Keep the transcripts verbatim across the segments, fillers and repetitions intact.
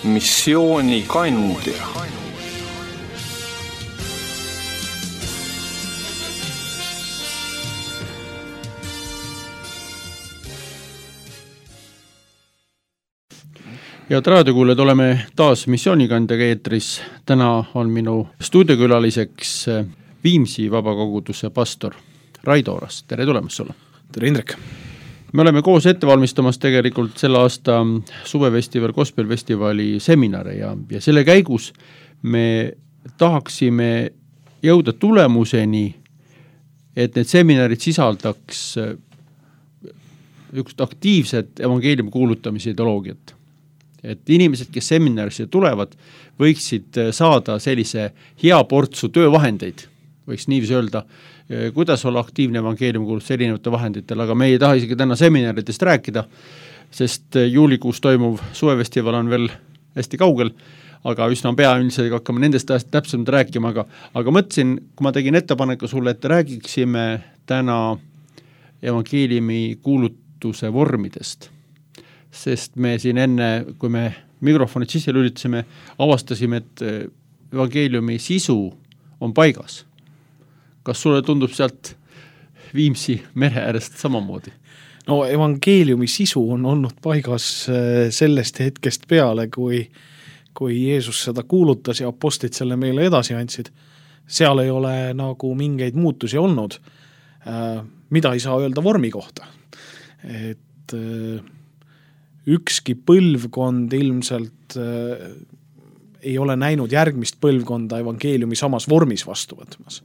missioonikandja. Head raadiokuulajad, oleme taas missioonikandjaga eetris. Täna on minu stuudiokülaliseks Viimsi vabakoguduse pastor Raido Oras. Tere tulemast sulle. Tere Indrek. Me oleme koos ette valmistamas tegelikult selle aasta suvefestival, gospelfestivali seminare ja, ja selle käigus me tahaksime jõuda tulemuseni, et need seminarid sisaldaks üks aktiivset evangeeliumi kuulutamise ideoloogiat. Et inimesed, kes seminarisse tulevad, võiksid saada sellise hea portsu töövahendeid, võiks niiviisi öelda, kuidas olla aktiivne evangeeliumi kuulutus erinevate vahenditel, aga me ei taha isegi täna seminaridest rääkida, sest juulikuus toimuv suvefestival on veel hästi kaugel, aga üsna pea üldiselt hakkame nendest täpsemalt rääkima, aga, aga mõtlesin, kui ma tegin ettepaneku sulle, et räägiksime täna evangeeliumi kuulutuse vormidest. Sest me siin enne, kui me mikrofonid sisse lülitasime, avastasime, et evangeeliumi sisu on paigas. Kas sulle tundub sealt Viimsi mere äärest samamoodi? No evangeeliumi sisu on olnud paigas sellest hetkest peale, kui, kui Jeesus seda kuulutas ja apostlid selle meile edasi andsid. Seal ei ole nagu mingeid muutusi olnud, mida ei saa öelda vormi kohta. Et ükski põlvkond ilmselt äh, ei ole näinud järgmist põlvkonda evangeeliumi samas vormis vastu võtmas.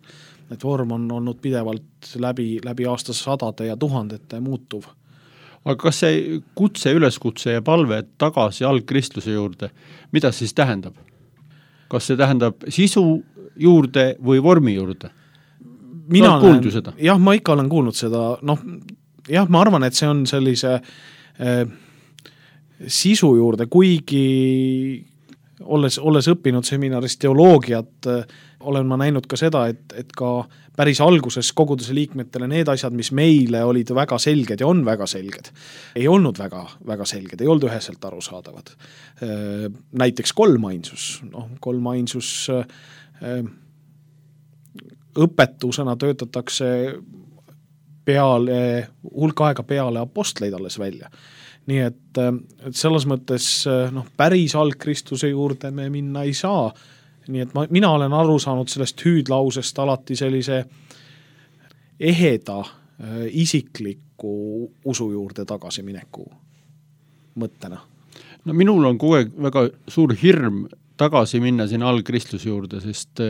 Et vorm on olnud pidevalt läbi, läbi aastasadade ja tuhandete muutuv. Aga kas see kutse, üleskutse ja palve tagasi algkristluse juurde, mida siis tähendab? Kas see tähendab sisu juurde või vormi juurde? Mina olen, seda? Jah, ma ikka olen kuulnud seda. Noh, jah, ma arvan, et see on sellise äh, sisu juurde, kuigi olles, olles õppinud seminaris teoloogiat, olen ma näinud ka seda, et, et ka päris alguses koguduse liikmetele need asjad, mis meile olid väga selged ja on väga selged, ei olnud väga, väga selged, ei olnud üheselt arusaadavad. Näiteks kolmainsus. No, kolmainsus õpetusena töötatakse peale, hulk aega peale apostleid alles välja. Nii et, et selles mõttes noh, päris algkristuse juurde me minna ei saa. Nii et ma, mina olen aru saanud sellest hüüdlausest alati sellise eheda isikliku usu juurde tagasimineku mõttena. No minul on kogu aeg väga suur hirm tagasi minna siin algkristluse juurde, sest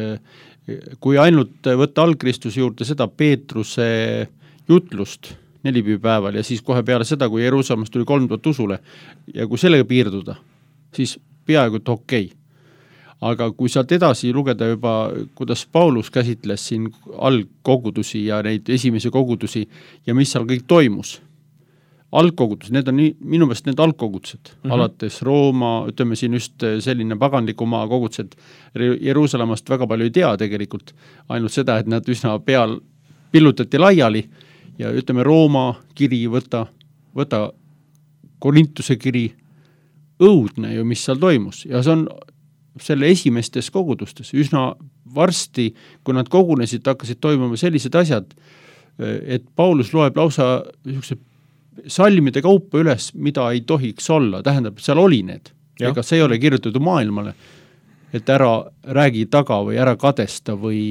kui ainult võtta algkristuse juurde seda Peetruse jutlust nelipäeval ja siis kohe peale seda, kui Jeruusalemast tuli kolm tuhat usule ja kui sellega piirduda, siis peaaegu et okei. Aga kui sealt edasi lugeda juba, kuidas Paulus käsitles siin algkogudusi ja neid esimesi kogudusi ja mis seal kõik toimus, algkogudus, need on nii, minu meelest need algkogudused, mm-hmm. alates Rooma, ütleme siin just selline paganliku maa kogudused, Jeruusalemast väga palju ei tea tegelikult, ainult seda, et nad üsna peal pillutati laiali ja ütleme Rooma kiri, võta, võta Korintuse kiri, õudne ju, mis seal toimus. Ja see on selle esimestes kogudustes üsna varsti, kui nad kogunesid, hakkasid toimuma sellised asjad, et Paulus loeb lausa salmide kaupa üles, mida ei tohiks olla. Tähendab, seal oli need. Ja. Ega see ei ole kirjutatud maailmale, et ära räägi taga või ära kadesta või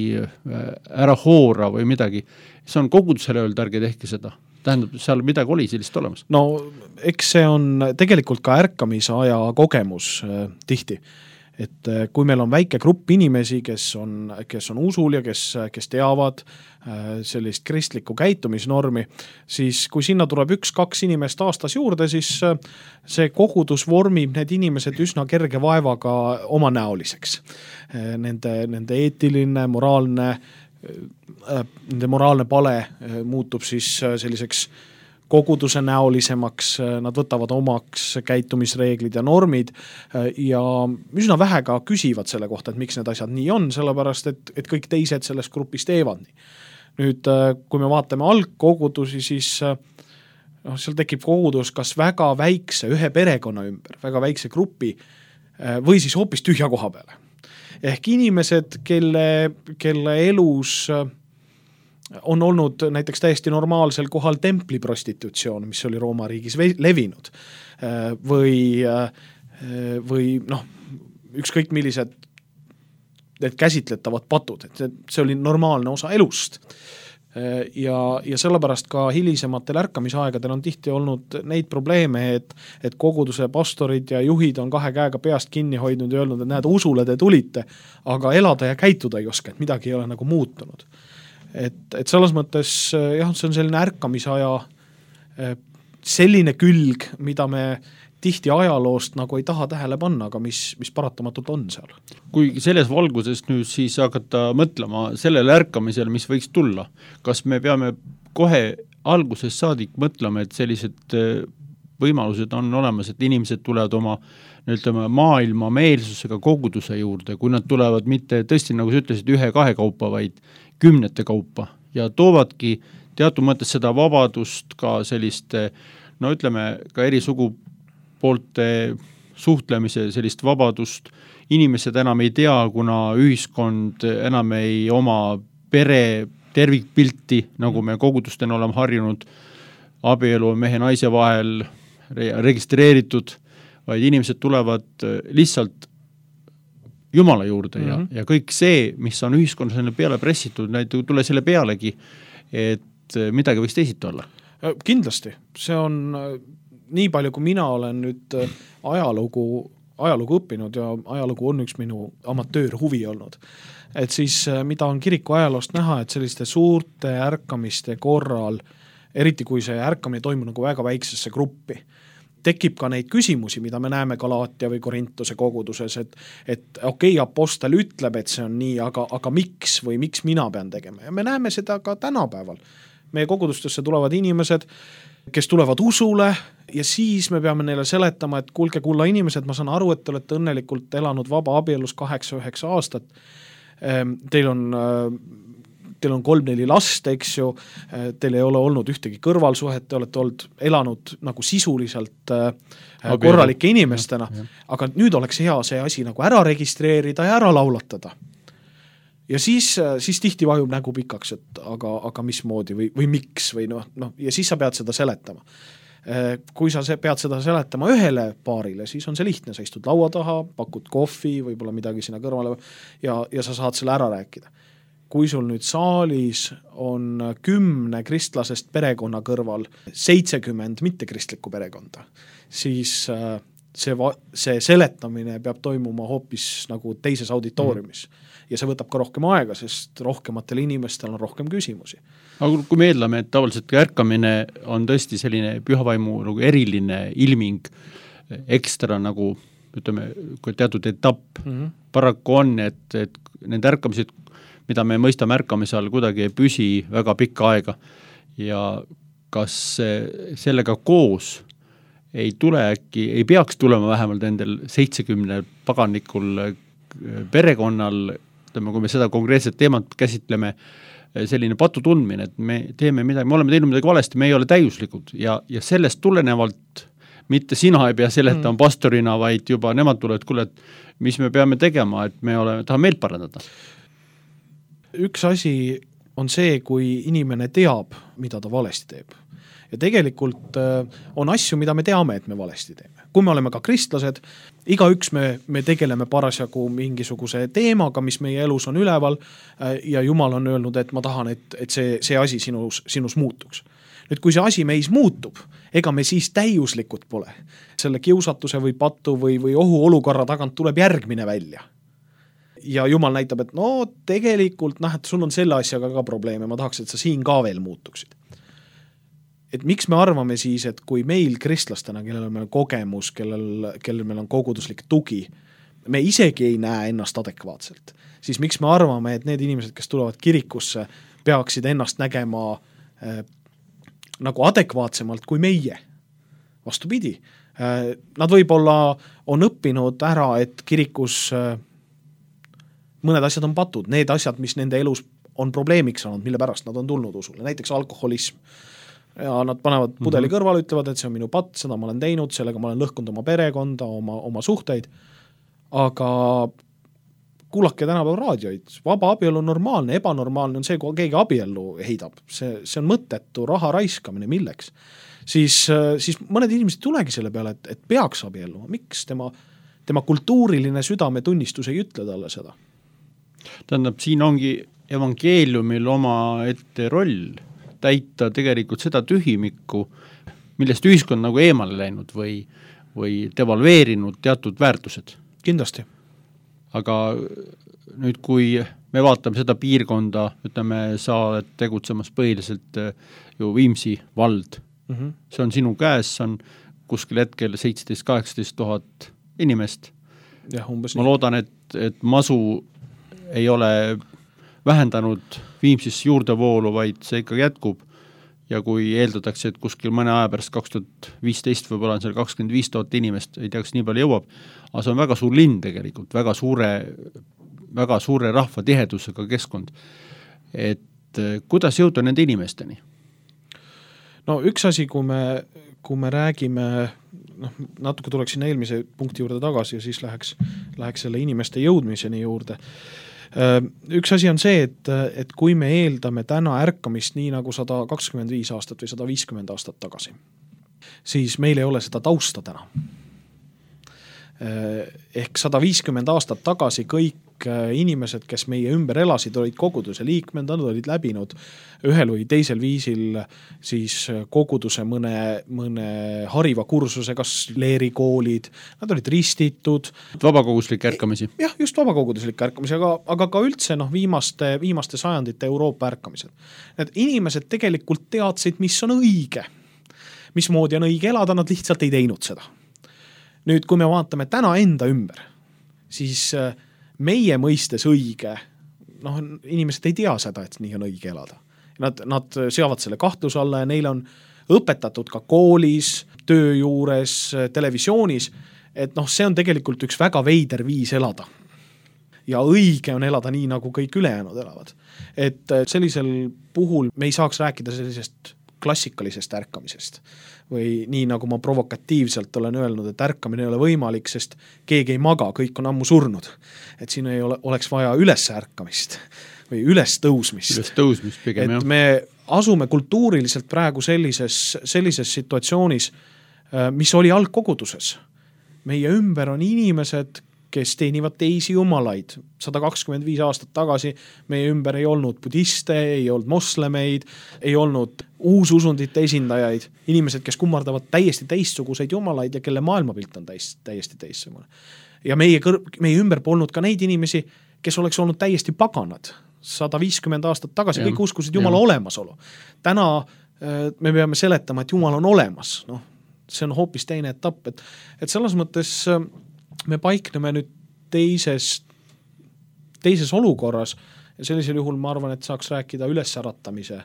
ära hoora või midagi. See on kogudusele öelda, ärge tehke seda. Tähendab, seal midagi oli sellist olemas. No, eks see on tegelikult ka ärkamise aja kogemus äh, tihti. Et äh, kui meil on väike grupp inimesi, kes on, kes on usul ja kes, kes teavad äh, sellist kristlikku käitumisnormi, siis kui sinna tuleb üks-kaks inimest aastas juurde, siis äh, see kogudus vormib need inimesed üsna kerge vaevaga oma näoliseks. Äh, nende, nende eetiline, moraalne nende moraalne pale muutub siis selliseks koguduse näolisemaks, nad võtavad omaks käitumisreeglid ja normid ja üsna vähe ka küsivad selle kohta, et miks need asjad nii on, sellepärast et, et kõik teised selles grupis teevad nii. Nüüd, kui me vaatame algkogudusi, siis noh, seal tekib kogudus kas väga väikse ühe perekonna ümber, väga väikse grupi või siis hoopis tühja koha peale. Ehk inimesed, kelle, kelle elus on olnud näiteks täiesti normaalsel kohal templiprostitutsioon, mis oli Rooma riigis levinud, või, või noh, ükskõik millised need käsitletavad patud, et see oli normaalne osa elust. Ja, ja sellepärast ka hilisematel ärkamisaegadel on tihti olnud neid probleeme, et, et koguduse pastorid ja juhid on kahe käega peast kinni hoidnud ja öelnud, et näed, usule te tulite, aga elada ja käituda ei oska, et midagi ei ole nagu muutunud. Et, et selles mõttes jah, see on selline ärkamisaja selline külg, mida me tihti ajaloost nagu ei taha tähele panna, aga mis, mis paratamatult on seal. Kui selles valguses nüüd siis hakata mõtlema sellele ärkamisele, mis võiks tulla, kas me peame kohe alguses saadik mõtlema, et sellised võimalused on olemas, et inimesed tulevad oma ütleme, maailma meelsusega koguduse juurde, kui nad tulevad mitte tõesti, nagu sa ütlesid, ühe-kahe kaupa, vaid kümnete kaupa ja toovadki teatud mõttes seda vabadust ka selliste, no ütleme, ka eri sugu poolte suhtlemise sellist vabadust. Inimesed enam ei tea, kuna ühiskond enam ei oma pere tervikpilti, nagu me kogudustena oleme harjunud, abielu mehe naise vahel registreeritud, vaid inimesed tulevad lihtsalt Jumala juurde ja, mm -hmm. ja kõik see, mis on ühiskonnas peale pressitud, näid ei tule selle pealegi, et midagi võiks teisiti olla. Kindlasti, see on nii palju, kui mina olen nüüd ajalugu, ajalugu õppinud ja ajalugu on üks minu amatöörhuvi olnud. Et siis mida on kiriku ajaloost näha, et selliste suurte ärkamiste korral, eriti kui see ärkamine toimub nagu väga väiksesse gruppi, tekib ka neid küsimusi, mida me näeme Galaatia või Korintuse koguduses, et, et okei, okay, apostel ütleb, et see on nii, aga, aga miks või miks mina pean tegema? Ja me näeme seda ka tänapäeval. Meie kogudustesse tulevad inimesed, kes tulevad usule ja siis me peame neile seletama, et kuulge, kulla inimesed, ma saan aru, et te olete õnnelikult elanud vaba abielus kaheksa-üheksa aastat. Teil on, teil on kolm-neli last, eks ju, teil ei ole olnud ühtegi kõrvalsuhet, te olete olnud, elanud nagu sisuliselt Abielu. korralike inimestena, ja, ja. aga nüüd oleks hea see asi nagu ära registreerida ja ära laulatada. Ja siis, siis tihti vajub nägu pikaks, et aga, aga mismoodi või, või miks või noh, noh, ja siis sa pead seda seletama. Kui sa pead seda seletama ühele paarile, siis on see lihtne, sa istud laua taha, pakud kohvi, võib-olla midagi sinna kõrvale ja, ja sa saad selle ära rääkida. Kui sul nüüd saalis on kümne kristlasest perekonna kõrval seitsekümmend mittekristlikku perekonda, siis see, see seletamine peab toimuma hoopis nagu teises auditooriumis. Mm. Ja see võtab ka rohkem aega, sest rohkematel inimestel on rohkem küsimusi. Aga kui me eeldame, et tavaliselt ärkamine on tõesti selline pühavaimu nagu eriline ilming, ekstra nagu, ütleme, teatud etapp, mm-hmm. paraku on, et, et need ärkamised, mida me mõistame ärkamise all, kuidagi ei püsi väga pikka aega ja kas sellega koos ei tule äkki, ei peaks tulema vähemalt nendel seitsekümne paganikul perekonnal, kui me seda konkreetset teemat käsitleme, selline patu tundmine, et me teeme midagi, me oleme teinud midagi valesti, me ei ole täiuslikud ja, ja sellest tulenevalt mitte sina ei pea seletama mm. pastorina, vaid juba nemad tulevad, kuule, et mis me peame tegema, et me oleme, tahame meelt parandada. Üks asi on see, kui inimene teab, mida ta valesti teeb. Ja tegelikult on asju, mida me teame, et me valesti teeme. Kui me oleme ka kristlased, igaüks me, me tegeleme parasjagu mingisuguse teemaga, mis meie elus on üleval ja Jumal on öelnud, et ma tahan, et, et see, see asi sinus, sinus muutuks. Nüüd, kui see asi meis muutub, ega me siis täiuslikud pole. Selle kiusatuse või patu või, või ohu olukorra tagant tuleb järgmine välja. Ja Jumal näitab, et no tegelikult, noh, et sul on selle asjaga ka probleeme, ma tahaks, et sa siin ka veel muutuksid. Et miks me arvame siis, et kui meil kristlastena, kellel meil on kogemus, kellel, kellel meil on koguduslik tugi, me isegi ei näe ennast adekvaatselt, siis miks me arvame, et need inimesed, kes tulevad kirikusse, peaksid ennast nägema äh, nagu adekvaatsemalt kui meie. Vastupidi. Äh, nad võib-olla on õppinud ära, et kirikus äh, mõned asjad on patud, need asjad, mis nende elus on probleemiks olnud, mille pärast nad on tulnud usule, näiteks alkoholism. Ja nad panevad pudeli kõrval, ütlevad, et see on minu patt, seda ma olen teinud, sellega ma olen lõhkunud oma perekonda, oma, oma suhteid. aga kuulake tänapäeval raadioid, vaba abielu on normaalne, ebanormaalne on see, kui keegi abiellu heidab, see, see on mõttetu raha raiskamine, milleks. Siis, siis mõned inimesed tulegi selle peale, et, et peaks abielluma, miks tema, tema kultuuriline südametunnistus ei ütle talle seda? Tähendab, siin ongi evangeeliumil oma ette roll täita tegelikult seda tühimikku, millest ühiskond nagu eemale läinud või, või devalveerinud teatud väärtused. Kindlasti. Aga nüüd, kui me vaatame seda piirkonda, ütleme, sa oled tegutsemas põhiliselt ju Viimsi vald. Mm -hmm. See on sinu käes, see on kuskil hetkel seitseteist kaheksateist tuhat inimest. Ja, umbes ma loodan, et, et masu ei ole vähendanud Viimsisse juurdevoolu, vaid see ikka jätkub. Ja kui eeldatakse, et kuskil mõne aja pärast kaks tuhat viisteist võib-olla on seal kakskümmend viis tuhat inimest, ei tea, kas nii palju jõuab, aga see on väga suur linn tegelikult, väga suure, väga suure rahvatihedusega keskkond. Et kuidas jõuda nende inimesteni? No üks asi, kui me, kui me räägime, noh, natuke tuleks sinna eelmise punkti juurde tagasi ja siis läheks, läheks selle inimeste jõudmiseni juurde. Üks asi on see, et, et kui me eeldame täna ärkamist nii nagu sada kakskümmend viis aastat või sada viiskümmend aastat tagasi, siis meil ei ole seda tausta täna. Ehk sada viiskümmend aastat tagasi kõik inimesed, kes meie ümber elasid, olid koguduse liikmed, nad olid läbinud ühel või teisel viisil siis koguduse mõne, mõne hariva kursuse, kas leerikoolid, nad olid ristitud. Vabakoguslik ärkamisi. Jah, just vabakoguduslik ärkamisi, aga, aga ka üldse noh, viimaste, viimaste sajandite Euroopa ärkamised. Need inimesed tegelikult teadsid, mis on õige. Mismoodi on õige elada, nad lihtsalt ei teinud seda. Nüüd, kui me vaatame täna enda ümber, siis meie mõistes õige, noh, inimesed ei tea seda, et nii on õige elada. Nad, nad seavad selle kahtluse alla ja neile on õpetatud ka koolis, töö juures, televisioonis, et noh, see on tegelikult üks väga veider viis elada. Ja õige on elada nii, nagu kõik ülejäänud elavad. Et sellisel puhul me ei saaks rääkida sellisest klassikalisest ärkamisest. Või nii, nagu ma provokatiivselt olen öelnud, et ärkamine ei ole võimalik, sest keegi ei maga, kõik on ammu surnud. Et siin ei ole, oleks vaja üles ärkamist või üles tõusmist. Üles tõusmist pigem, et jah. Me asume kultuuriliselt praegu sellises, sellises situatsioonis, mis oli algkoguduses. Meie ümber on inimesed, kes teenivad teisi jumalaid. sada kakskümmend viis aastat tagasi meie ümber ei olnud budiste, ei olnud moslemeid, ei olnud uususundite esindajaid, inimesed, kes kummardavad täiesti teistsuguseid jumalaid ja kelle maailmapilt on täiesti, täiesti teistsugune. Ja meie, kõr- meie ümber polnud ka neid inimesi, kes oleks olnud täiesti paganad. sada viiskümmend aastat tagasi ja, kõik uskusid Jumala ja. olemasolu. Täna me peame seletama, et Jumal on olemas. No, see on hoopis teine etapp. Et, et selles mõttes me paikneme nüüd teises, teises olukorras ja sellisel juhul ma arvan, et saaks rääkida ülesäratamise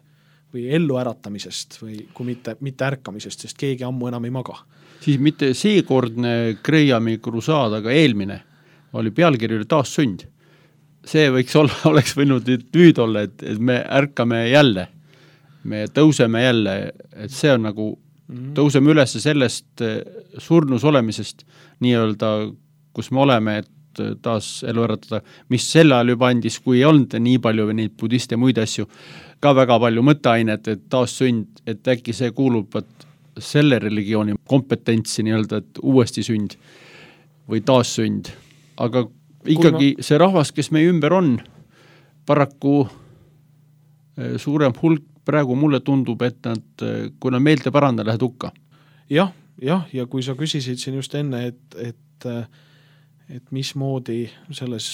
või elluäratamisest või kui mitte, mitte ärkamisest, sest keegi ammu enam ei maga. Siis mitte seekordne Grahami krusaad, aga eelmine oli pealkiri taassünd. See võiks olla, oleks võinud nüüd olla, et, et me ärkame jälle, me tõuseme jälle, et see on nagu tõuseme üles sellest surnus olemisest nii-öelda, kus me oleme, et taas elu äratada, mis selle ajal juba andis, kui ei olnud nii palju või neid budiste ja muid asju, ka väga palju mõtteainet, et taas sünd, et äkki see kuulub selle religiooni kompetentsi nii-öelda, et uuesti sünd või taas sünd. Aga ikkagi ma... see rahvas, kes meie ümber on, paraku suurem hulk praegu mulle tundub, et nad, kui nad meelte paranda, lähed hukka. Jah, jah, ja kui sa küsisid siin just enne, et, et, et mismoodi selles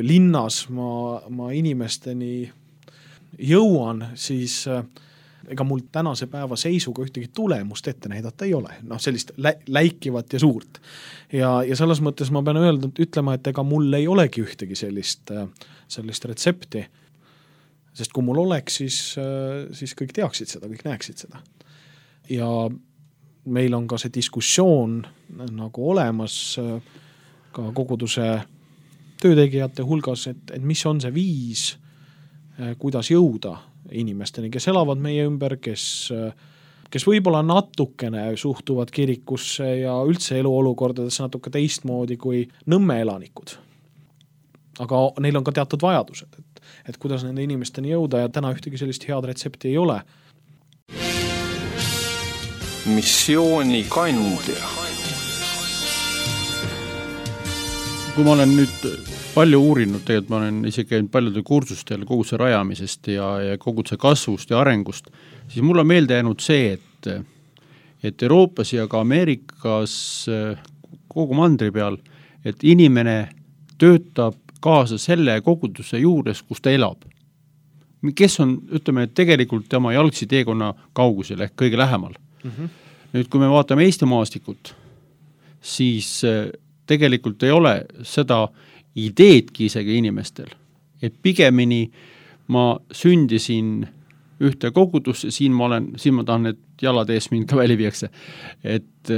linnas ma, ma inimesteni jõuan, siis ega mul tänase päeva seisuga ühtegi tulemust ette näidata ei ole. Noh, sellist lä- läikivat ja suurt. Ja, ja selles mõttes ma pean öeldud, ütlema, et ega mul ei olegi ühtegi sellist, sellist retsepti. Sest kui mul oleks, siis, siis kõik teaksid seda, kõik näeksid seda. Ja meil on ka see diskussioon nagu olemas ka koguduse töötegijate hulgas, et, et mis on see viis, kuidas jõuda inimesteni, kes elavad meie ümber, kes, kes võib-olla natukene suhtuvad kirikusse ja üldse eluolukordadesse natuke teistmoodi kui Nõmme elanikud. Aga neil on ka teatud vajadused, et, et kuidas nende inimesteni jõuda ja täna ühtegi sellist head retsepti ei ole. Missiooni kandja. Kui ma olen nüüd palju uurinud, tegelikult ma olen isegi käinud paljude kursustel koguduse rajamisest ja, ja koguduse kasvust ja arengust, siis mul on meelde jäänud see, et, et Euroopas ja ka Ameerikas kogu mandri peal, et inimene töötab kaasa selle koguduse juures, kus ta elab. Kes on, ütleme, tegelikult tema jalgsi teekonna kaugusel ehk kõige lähemal. Mm-hmm. Nüüd, kui me vaatame Eesti maastikut, siis tegelikult ei ole seda ideedki isegi inimestel, et pigemini ma sündisin ühte kogudusse, siin ma olen, siin ma tahan, et jalad ees mind ka väli viiakse, et,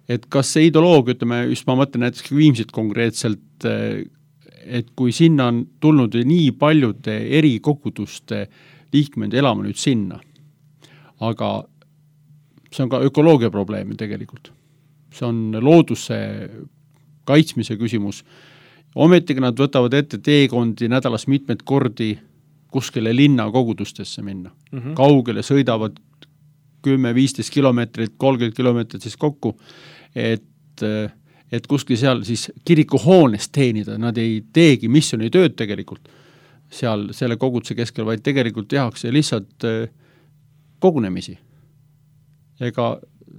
et kas see ideoloogia, ütleme, just ma mõtlen näiteks Viimsit konkreetselt, et kui sinna on tulnud nii paljude eri koguduste liikmed elama nüüd sinna, aga see on ka ökoloogia probleem tegelikult. See on looduse kaitsmise küsimus. Ometigi nad võtavad ette teekondi nädalas mitmed kordi kuskile linna kogudustesse minna. Mm-hmm. Kaugele sõidavad kümme viisteist kilomeetrit, kolmkümmend kilomeetrit siis kokku, et, et kuskil seal siis kirikuhoones teenida. Nad ei teegi missiooni tööd tegelikult seal selle koguduse keskel, vaid tegelikult tehakse lihtsalt kogunemisi. Ega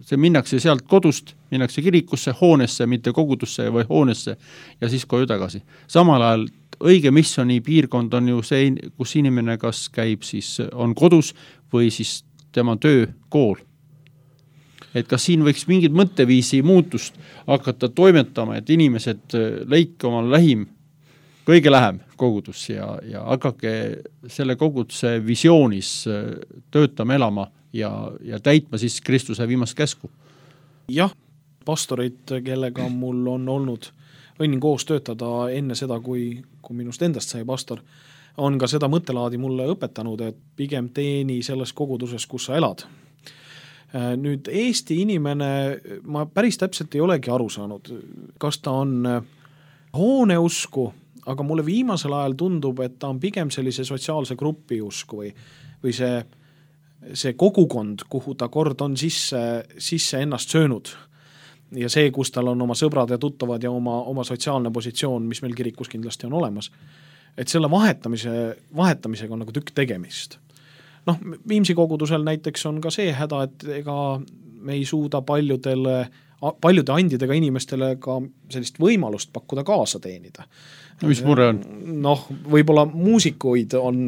see minnakse sealt kodust, minnakse kirikusse, hoonesse, mitte kogudusse või hoonesse ja siis koju tagasi. Samal ajal õige missiooni piirkond on ju see, kus inimene kas käib siis, on kodus või siis tema töö, kool. Et kas siin võiks mingid mõtteviisi muutust hakata toimetama, et inimesed leidke oma lähim, kõige lähem kogudus ja, ja hakake selle koguduse visioonis töötama, elama ja, ja täitma siis Kristuse viimast käsku. Jah, pastorid, kellega mul on olnud õnnin koos töötada enne seda, kui, kui minust endast sai pastor, on ka seda mõttelaadi mulle õpetanud, et pigem teeni selles koguduses, kus sa elad. Nüüd Eesti inimene, ma päris täpselt ei olegi aru saanud, kas ta on hooneusku, aga mulle viimasel ajal tundub, et ta on pigem sellise sotsiaalse grupi usku või, või see see kogukond, kuhu ta kord on sisse, sisse ennast söönud ja see, kus tal on oma sõbrad ja tuttavad ja oma, oma sotsiaalne positsioon, mis meil kirikus kindlasti on olemas, et selle vahetamise, vahetamisega on nagu tükk tegemist. Noh, Viimsi kogudusel näiteks on ka see häda, et ega me ei suuda paljudele, paljude andidega inimestele ka sellist võimalust pakkuda kaasa teenida. No, mis mure on? Noh, võib-olla muusikuid on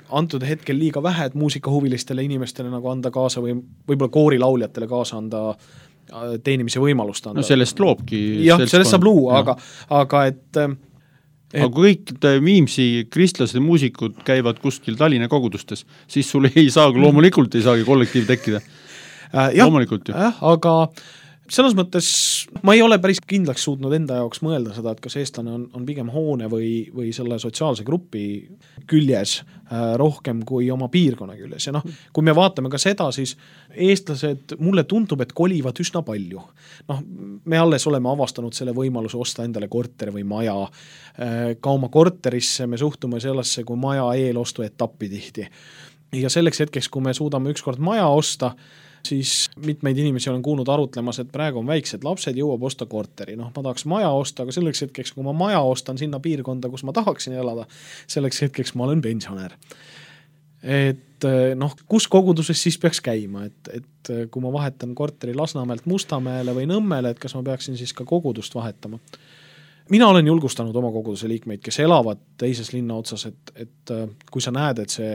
antud hetkel liiga vähe, et muusikahuvilistele inimestele nagu anda kaasa või võib-olla koorilauljatele kaasa anda teenimise võimalust anda. No sellest loobki. Jah, sellest saab luua, aga, aga et, et... Aga kui kõik Viimsi kristlased muusikud käivad kuskil Tallinna kogudustes, siis sul ei saagi, loomulikult ei saagi kollektiiv tekkida. Äh, jah, loomulikult ju. Jah, aga selles mõttes ma ei ole päris kindlaks suutnud enda jaoks mõelda seda, et kas eestlane on, on pigem hoone või, või selle sotsiaalse grupi küljes äh, rohkem kui oma piirkonna küljes. Ja noh, kui me vaatame ka seda, siis eestlased, mulle tundub, et kolivad üsna palju. Noh, me alles oleme avastanud selle võimaluse osta endale korter või maja. Äh, ka oma korterisse me suhtume sellesse kui maja eelostu etappi tihti. Ja selleks hetkeks, kui me suudame ükskord maja osta, siis mitmeid inimesi olen kuulnud arutlemas, et praegu on väiksed lapsed, jõuab osta korteri. Noh, ma tahaks maja osta, aga selleks hetkeks, kui ma maja ostan sinna piirkonda, kus ma tahaksin elada, selleks hetkeks ma olen pensionär. Et noh, kus koguduses siis peaks käima, et, et kui ma vahetan korteri Lasnamäelt Mustamäele või Nõmmele, et kas ma peaksin siis ka kogudust vahetama. Mina olen julgustanud oma koguduse liikmeid, kes elavad teises linna otsas, et, et kui sa näed, et see,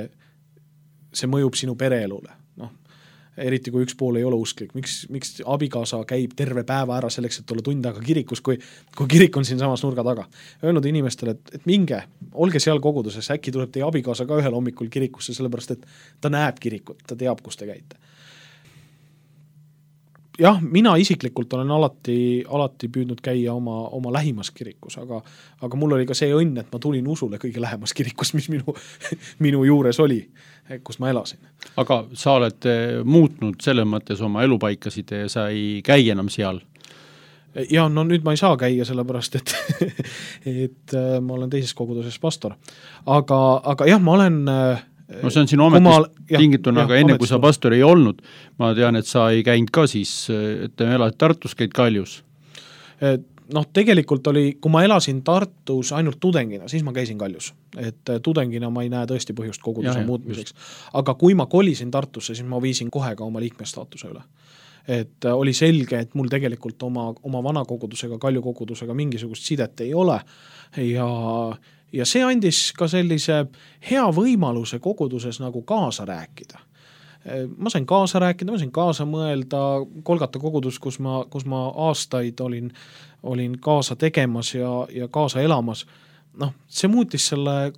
see mõjub sinu pereelule, eriti kui üks pool ei ole usklik. Miks, miks abikaasa käib terve päeva ära selleks, et olla tund aega kirikus, kui, kui kirik on siin samas nurga taga. Öelnud inimestele, et, et minge, olge seal koguduses, äkki tuleb teie abikaasa ka ühel hommikul kirikusse, sellepärast et ta näeb kirikut, ta teab, kus te käite. jah, mina isiklikult olen alati, alati püüdnud käia oma, oma lähimas kirikus, aga, aga mul oli ka see õnn, et ma tulin usule kõige lähemas kirikus, mis minu, minu juures oli, kus ma elasin. Aga sa oled muutnud selles mõttes oma elupaikasid ja sa ei käi enam seal? Ja no nüüd ma ei saa käia sellepärast, et, et ma olen teises koguduses pastor. Aga, aga jah, ma olen no see on sinu ametist tingituna, aga enne kui sa pastor ei olnud, ma tean, et sa ei käinud ka siis, et te elad Tartus, käid Kaljus. Noh, tegelikult oli, kui ma elasin Tartus ainult tudengina, siis ma käisin Kaljus. Et tudengina ma ei näe tõesti põhjust koguduse ja, muutmiseks. Just. Aga kui ma kolisin Tartusse, siis ma viisin kohe ka oma liikmestaatuse üle. Et oli selge, et mul tegelikult oma, oma vana kogudusega, Kalju kogudusega mingisugust sidet ei ole ja, ja see andis ka sellise hea võimaluse koguduses nagu kaasa rääkida. Ma sain kaasa rääkida, ma sain kaasa mõelda, Kolgata kogudus, kus ma, kus ma aastaid olin, olin kaasa tegemas ja, ja kaasa elamas. Noh, see muutis selle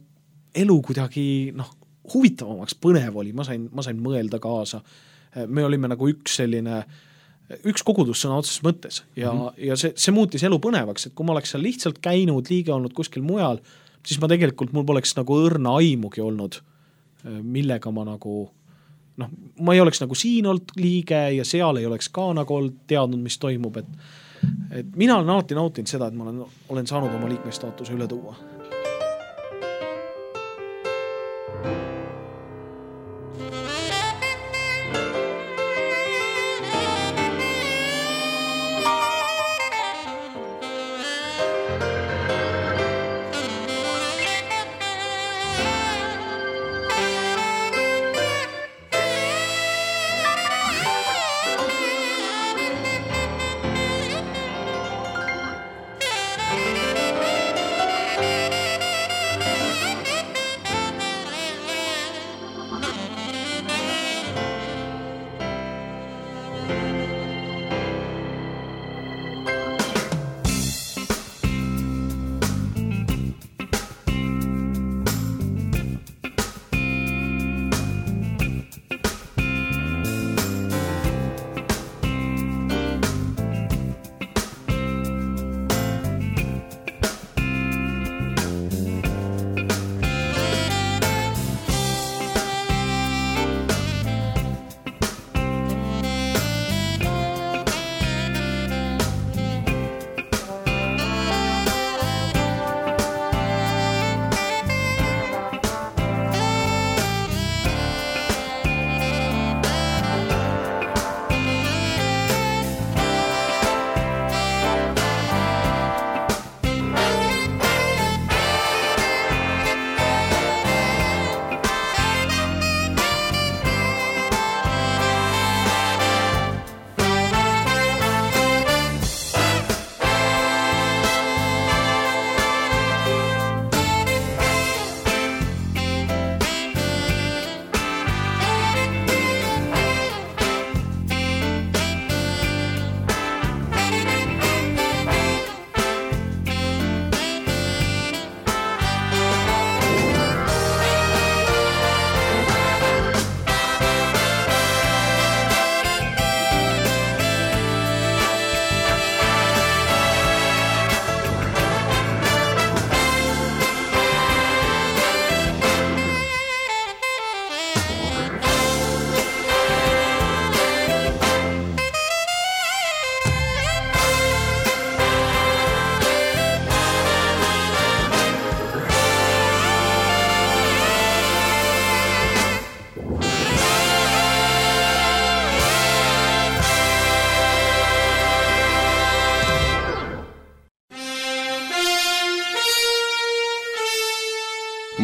elu kuidagi noh, huvitavamaks, põnev oli, ma sain, ma sain mõelda kaasa. Me olime nagu üks selline, üks kogudus sõna otseses mõttes ja, mm-hmm. ja see, see muutis elu põnevaks, et kui ma oleks seal lihtsalt käinud, liige olnud kuskil mujal, siis ma tegelikult, mul poleks nagu õrna aimugi olnud, millega ma nagu, noh, ma ei oleks nagu siin olnud liige ja seal ei oleks ka nagu olnud teadnud, mis toimub, et, et mina olen alati nautinud seda, et ma olen, olen saanud oma liikmestaatuse üle tuua.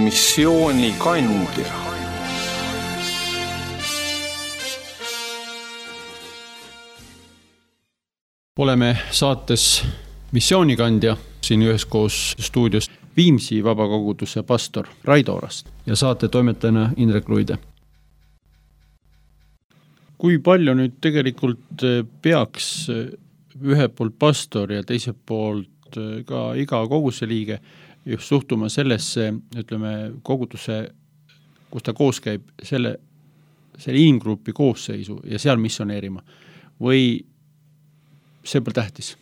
Missioonikandja. Oleme saates Missioonikandja siin üheskoos stuudios Viimsi vabakoguduse pastor Raido Orast ja saate toimetajana Indrek Luide. Kui palju nüüd tegelikult peaks ühe poolt pastor ja teise poolt ka iga koguduse liige just suhtuma sellesse, ütleme, koguduse, kus ta koos käib, selle, selle inimgrupi koosseisu ja seal missioneerima? Või see pole tähtis.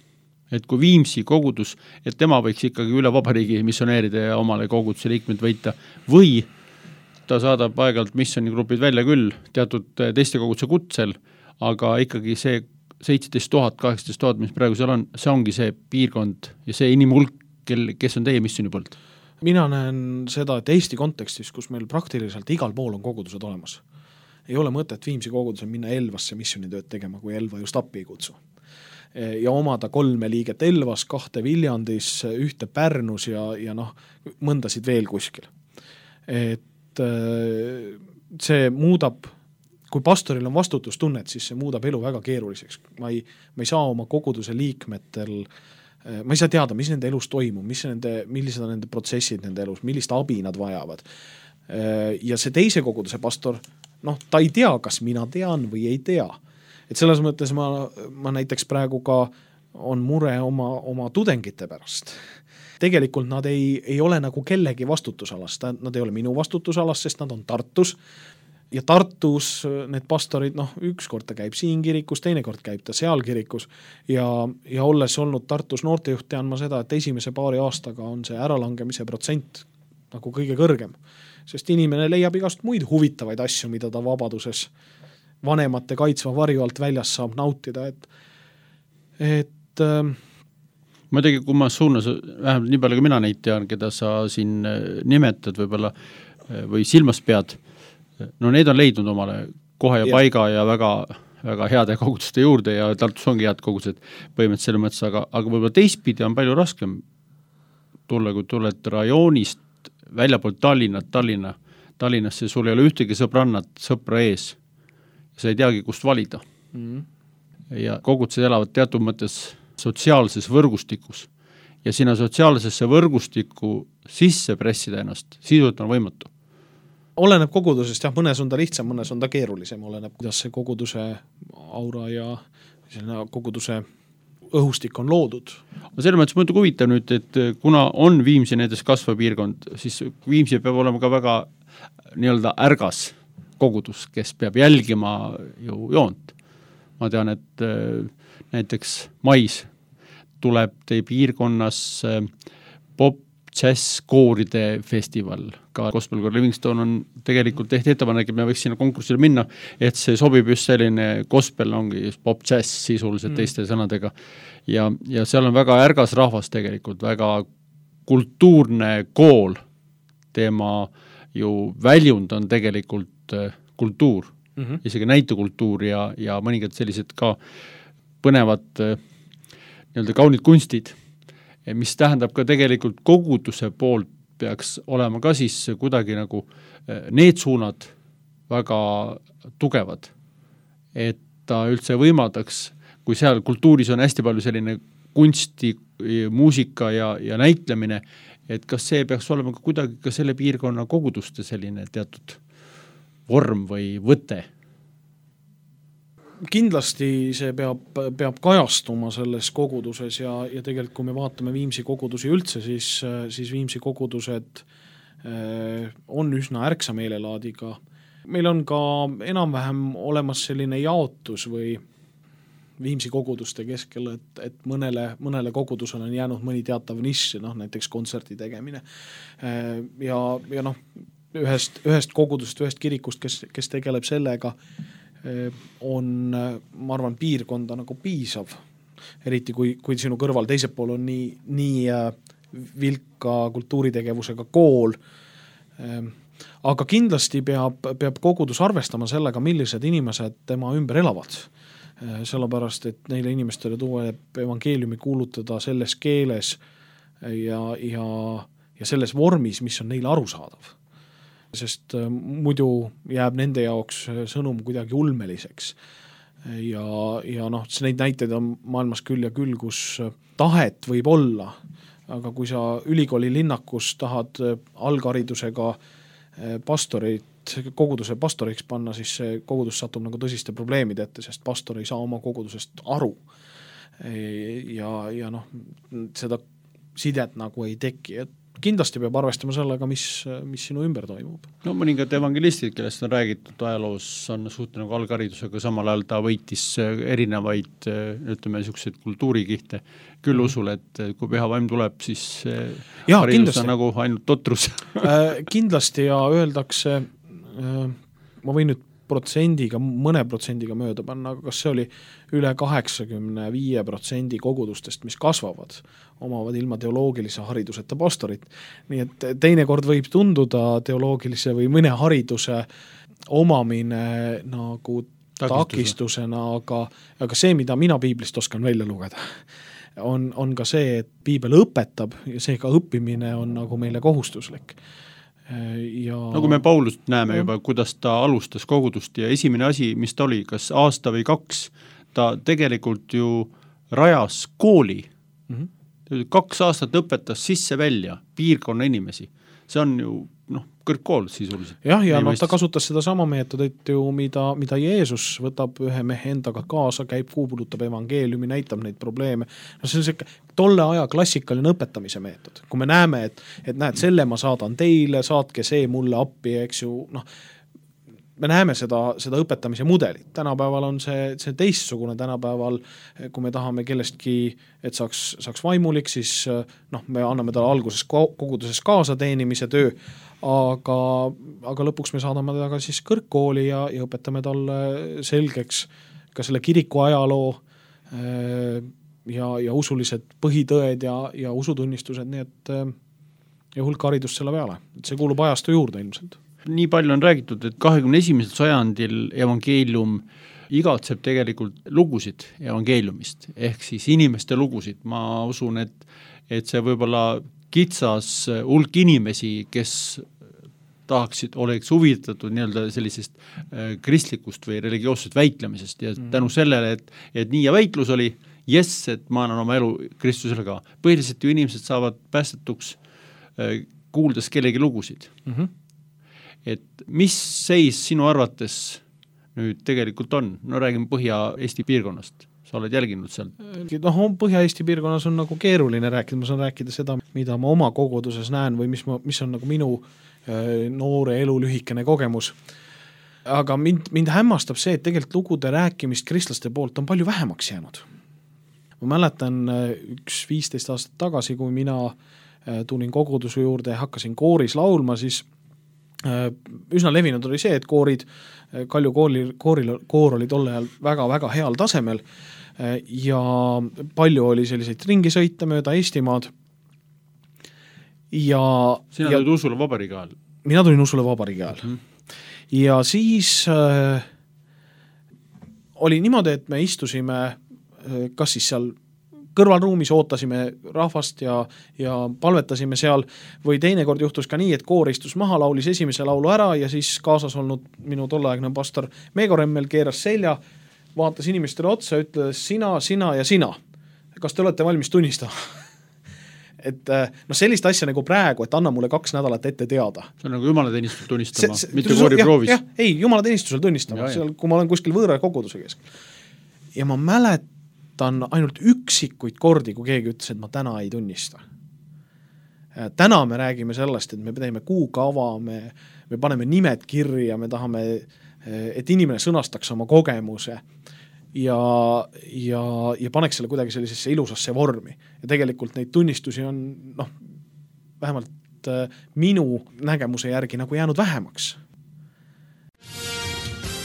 Et kui Viimsi kogudus, et tema võiks ikkagi üle vabariigi missioneerida ja omale koguduse liikmed võita, või ta saadab aegalt missioonigrupid välja küll teatud teiste koguduse kutsel, aga ikkagi see seitseteist tuhat, kaheksateist tuhat, mis praegu seal on, see ongi see piirkond ja see inimhulk, kel, kes on teie missiooni poolt. Mina näen seda, et Eesti kontekstis, kus meil praktiliselt igal pool on kogudused olemas, ei ole mõtet Viimsi kogudusel minna Elvasse missioonitööd tegema, kui Elva just appi ei kutsu. Ja omada kolme liiget Elvas, kahte Viljandis, ühte Pärnus ja, ja noh, mõndasid veel kuskil. Et see muudab, kui pastoril on vastutustunnet, siis see muudab elu väga keeruliseks. Ma ei, ma ei saa oma koguduse liikmetel, ma ei saa teada, mis nende elus toimub, mis nende, millised on nende protsessid nende elus, millist abi nad vajavad. Ja see teise koguduse pastor, noh, ta ei tea, kas mina tean või ei tea. Et selles mõttes ma, ma näiteks praegu ka on mure oma, oma tudengite pärast. Tegelikult nad ei, ei ole nagu kellegi vastutusalas, nad ei ole minu vastutusalas, sest nad on Tartus ja Tartus need pastorid, noh, ükskord ta käib siin kirikus, teine kord käib ta seal kirikus ja, ja olles olnud Tartus noortejuht, tean ma seda, et esimese paari aastaga on see äralangemise protsent nagu kõige kõrgem, sest inimene leiab igast muid huvitavaid asju, mida ta vabaduses vanemate kaitsva varju alt väljas saab nautida, et, et ähm, ma tegi, kui ma suunas, vähemalt nii palju, kui mina neid tean, keda sa siin nimetad võib-olla või silmas pead, no need on leidnud omale kohe ja, ja. paiga ja väga, väga heade koguduste juurde ja Tartus ongi head kogudused põhimõtteliselt selle mõttes, aga, aga võib-olla teistpidi on palju raskem tulla, kui tuled rajoonist väljapoolt Tallinna, Tallinna, Tallinnasse sul ei ole ühtegi sõbrannat, sõpra ees. Sa ei teagi, kust valida. Mm. Ja kogudused elavad teatud mõttes sotsiaalses võrgustikus. Ja sinna sotsiaalsesse võrgustiku sisse pressida ennast, sisuliselt on võimatu. Oleneb kogudusest, jah, mõnes on ta lihtsam, mõnes on ta keerulisem, oleneb, kuidas see koguduse aura ja koguduse õhustik on loodud. Selles mõttes mõtled huvitav nüüd, et kuna on Viimsi näiteks kasvapiirkond, siis Viimsi peab olema ka väga nii-öelda ärgas kogudus, kes peab jälgima ju joont. Ma tean, et näiteks mais tuleb teie piirkonnas pop jazz kooride festival. Ka Gospel Choir Livingston on tegelikult tehti ettepanek, et me võiks sinna konkursile minna, et see sobib just selline gospel, ongi just pop jazz sisuliselt mm. teiste sõnadega. Ja, ja seal on väga ärgas rahvas tegelikult, väga kultuurne kool. Tema ju väljund on tegelikult kultuur, mm-hmm. isegi näitekultuur ja, ja mõningad sellised ka põnevad nii-öelda kaunid kunstid, mis tähendab ka tegelikult koguduse poolt peaks olema ka siis kuidagi nagu need suunad väga tugevad, et ta üldse võimaldaks, kui seal kultuuris on hästi palju selline kunsti, muusika ja, ja näitlemine, et kas see peaks olema ka kuidagi ka selle piirkonna koguduste selline teatud vorm või võte? Kindlasti see peab, peab kajastuma selles koguduses ja, ja tegelikult kui me vaatame Viimsi kogudusi üldse, siis, siis Viimsi kogudused on üsna ärksa meelelaadiga. Meil on ka enam-vähem olemas selline jaotus või Viimsi koguduste keskel, et, et mõnele, mõnele kogudusele on jäänud mõni teatav nišš, noh, näiteks kontserti tegemine. Ja, ja noh, ühest, ühest kogudusest, ühest kirikust, kes, kes tegeleb sellega, on, ma arvan, piirkonda nagu piisav. Eriti kui, kui sinu kõrval teisel pool on nii, nii vilka kultuuritegevusega kool. Aga kindlasti peab, peab kogudus arvestama sellega, millised inimesed tema ümber elavad. Sellepärast, et neile inimestele tuleb evangeeliumi kuulutada selles keeles ja, ja, ja selles vormis, mis on neile arusaadav. Sest muidu jääb nende jaoks sõnum kuidagi ulmeliseks. Ja, ja noh, neid näiteid on maailmas küll ja küll, kus tahet võib olla, aga kui sa ülikooli linnakus tahad algharidusega pastorit, koguduse pastoriks panna, siis see kogudus satub nagu tõsiste probleemide ette, sest pastor ei saa oma kogudusest aru. Ja, ja noh, seda sidet nagu ei teki, et kindlasti peab arvestama sellega, mis, mis sinu ümber toimub. No mõningad evangelistid, kellest on räägitud ajaloos, on suht nagu algharidusega, samal ajal ta võitis erinevaid, ütleme, niisuguseid kultuurikihte, küll usul, et kui püha vaim tuleb, siis ja, haridus kindlasti. on nagu ainult totrus. Kindlasti ja öeldakse, ma võin nüüd protsendiga, mõne protsendiga mööda panna, aga kas see oli üle kaheksakümne viie protsendi kogudustest, mis kasvavad, omavad ilma teoloogilise hariduseta pastorit. Nii et teinekord võib tunduda teoloogilise või mõne hariduse omamine nagu takistusena, aga, aga see, mida mina piiblist oskan välja lugeda, on, on ka see, et piibel õpetab ja seega õppimine on nagu meile kohustuslik. Ja... nagu me Paulust näeme juba, kuidas ta alustas kogudust ja esimene asi, mis ta oli, kas aasta või kaks, ta tegelikult ju rajas kooli. Mm-hmm. Kaks aastat õpetas sisse välja piirkonna inimesi. See on ju noh, kõrgkool sisuliselt. jah, ja no, ta kasutas seda sama meetodit ju, mida, mida Jeesus võtab ühe mehe endaga kaasa, käib, kuulutab evangeeliumi, näitab neid probleeme. No see on see tolle aja klassikaline õpetamise meetod. Kui me näeme, et, et näed, selle ma saadan teile, saatke see mulle appi, eks ju, noh, me näeme seda, seda õpetamise mudelit. Tänapäeval on see, see teistsugune, tänapäeval, kui me tahame kellestki, et saaks, saaks vaimulik, siis noh, me anname talle alguses koguduses kaasa teenimise töö, aga, aga lõpuks me saadame teda ka siis kõrgkooli ja, ja õpetame talle selgeks ka selle kiriku ajaloo ja, ja usulised põhitõed ja, ja usutunnistused, nii et ja hulk haridust selle peale. Et see kuulub ajastu juurde ilmselt. Nii palju on räägitud, et kahekümne esimesel sajandil evangeelium igatseb tegelikult lugusid evangeeliumist, ehk siis inimeste lugusid. Ma usun, et, et see võib-olla kitsas hulk inimesi, kes tahaksid, oleks huvitatud nii-öelda sellisest kristlikust või religioossest väitlemisest ja tänu sellele, et, et nii ja väitlus oli, jess, et ma annan oma elu Kristusele ka. Põhiliselt ju inimesed saavad päästetuks kuuldes kellegi lugusid. Mm-hmm. Et mis seis sinu arvates nüüd tegelikult on? No räägime Põhja-Eesti piirkonnast. Sa oled jälginud seal? No, Põhja-Eesti piirkonnas on nagu keeruline rääkida, ma saan rääkida seda, mida ma oma koguduses näen või mis, ma, mis on nagu minu noore elu lühikene kogemus. Aga mind, mind hämmastab see, et tegelikult lugude rääkimist kristlaste poolt on palju vähemaks jäänud. Ma mäletan üks viisteist aastat tagasi, kui mina tulin koguduse juurde ja hakkasin kooris laulma, siis üsna levinud oli see, et koorid, Kalju kooli, kooril, koor oli tolle ajal väga-väga heal tasemel ja palju oli selliseid ringisõite mööda Eestimaad. Ja, Sina ja, tulid Usule Vabariigi ajal? Mina tulin Usule Vabariigi ajal. Mm-hmm. Ja siis äh, oli niimoodi, et me istusime äh, kas siis seal kõrvalruumis ootasime rahvast ja, ja palvetasime seal või teinekord juhtus ka nii, et koor istus maha, laulis esimese laulu ära ja siis kaasas olnud minu tolleaegne pastor Meego Remmel keeras selja, vaatas inimestele otsa, ütles sina, sina ja sina. Kas te olete valmis tunnistama? et no sellist asja nagu praegu, et anna mulle kaks nädalat ette teada. See on nagu jumalateenistusel tunnistama, see, see, mitte koori proovis. Jah, ei, jumalateenistusel tunnistama, seal, kui ma olen kuskil võõra koguduse keskel. Ja ma mälet on ainult üksikuid kordi, kui keegi ütles, et ma täna ei tunnista. Täna me räägime sellest, et me teeme kuukava, me, me paneme nimed kirja, me tahame, et inimene sõnastaks oma kogemuse ja, ja, ja paneks selle kuidagi sellisesse ilusasse vormi. Ja tegelikult neid tunnistusi on noh, vähemalt minu nägemuse järgi nagu jäänud vähemaks.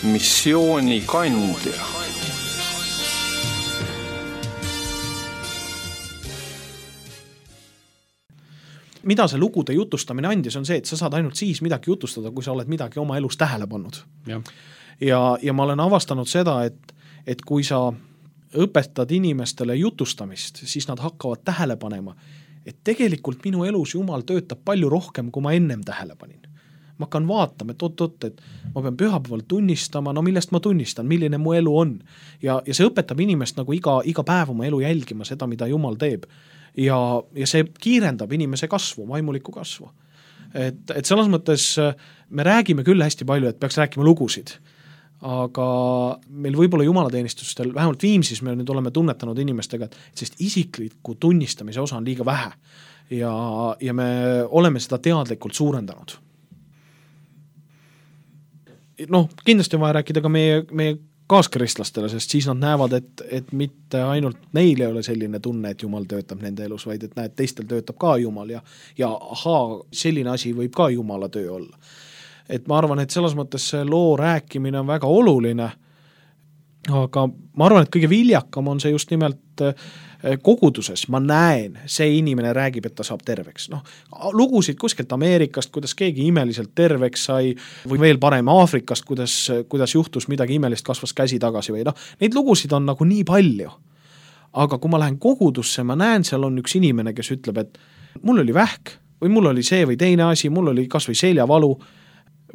Missiooni kandja. Mida see lugude jutustamine andis, on see, et sa saad ainult siis midagi jutustada, kui sa oled midagi oma elus tähele pannud. Ja, ja, ja ma olen avastanud seda, et, et kui sa õpetad inimestele jutustamist, siis nad hakkavad tähele panema, et tegelikult minu elus Jumal töötab palju rohkem, kui ma ennem tähele panin. Ma hakkan vaatama, et oot-oot, et ma pean pühapäeval tunnistama, no millest ma tunnistan, milline mu elu on. Ja, ja see õpetab inimest nagu iga, iga päev oma elu jälgima seda, mida Jumal teeb. Ja, ja see kiirendab inimese kasvu, vaimulikku kasvu. Et, et selles mõttes me räägime küll hästi palju, et peaks rääkima lugusid, aga meil võib-olla jumalateenistustel, vähemalt Viimsis me nüüd oleme tunnetanud inimestega, et sellist isikliku tunnistamise osa on liiga vähe. ja, ja me oleme seda teadlikult suurendanud. Noh, kindlasti on vaja rääkida ka meie, meie kaaskristlastele, sest siis nad näevad, et, et mitte ainult neil ei ole selline tunne, et Jumal töötab nende elus, vaid et näed, teistel töötab ka Jumal ja, ja ahaa, selline asi võib ka Jumala töö olla. Et ma arvan, et selles mõttes see loo rääkimine on väga oluline, aga ma arvan, et kõige viljakam on see just nimelt koguduses, ma näen, see inimene räägib, et ta saab terveks. Noh, lugusid kuskilt Ameerikast, kuidas keegi imeliselt terveks sai, või veel parem Aafrikast, kuidas, kuidas juhtus midagi imelist, kasvas käsi tagasi või noh, neid lugusid on nagu nii palju. Aga kui ma lähen kogudusse, ma näen, seal on üks inimene, kes ütleb, et mul oli vähk, või mul oli see või teine asi, mul oli kas või seljavalu,